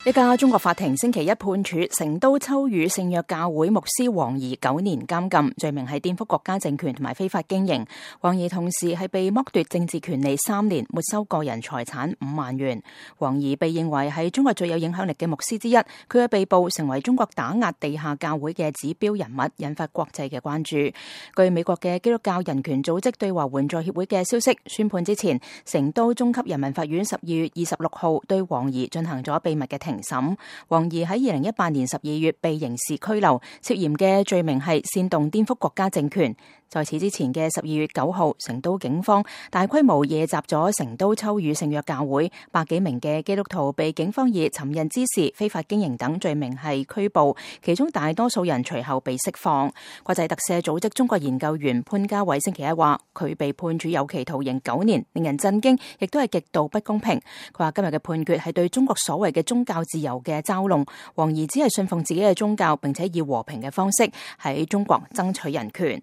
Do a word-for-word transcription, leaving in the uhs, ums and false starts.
一家中國法庭星期一判處成都秋雨聖約教會牧師黃怡九年監禁，罪名係顛覆國家政權同埋非法經營。黃怡同時係被剝奪政治權利三年，沒收個人財產五萬元。黃怡被認為係中國最有影響力嘅牧師之一，佢嘅被捕成為中國打壓地下教會嘅指標人物，引發國際嘅關注。據美國嘅基督教人權組織對華援助協會嘅消息，宣判之前，成都中級人民法院十二月二十六號對黃怡進行咗秘密嘅庭審。黃怡喺二零一八年十二月被刑事拘留，涉嫌嘅罪名係煽動顛覆國家政權。在此之前嘅十二月九號，成都警方大規模夜襲咗成都秋雨聖約教會，百幾名嘅基督徒被警方以尋釁滋事、非法經營等罪名係拘捕，其中大多數人隨後被釋放。國際特赦組織中國研究員潘家偉星期一話，佢被判處有期徒刑九年，令人震驚，亦都係極度不公平。佢話今日嘅判決係對中國所謂嘅宗教自由嘅嘲弄，黃怡只係信奉自己嘅宗教，並且以和平嘅方式喺中國爭取人權。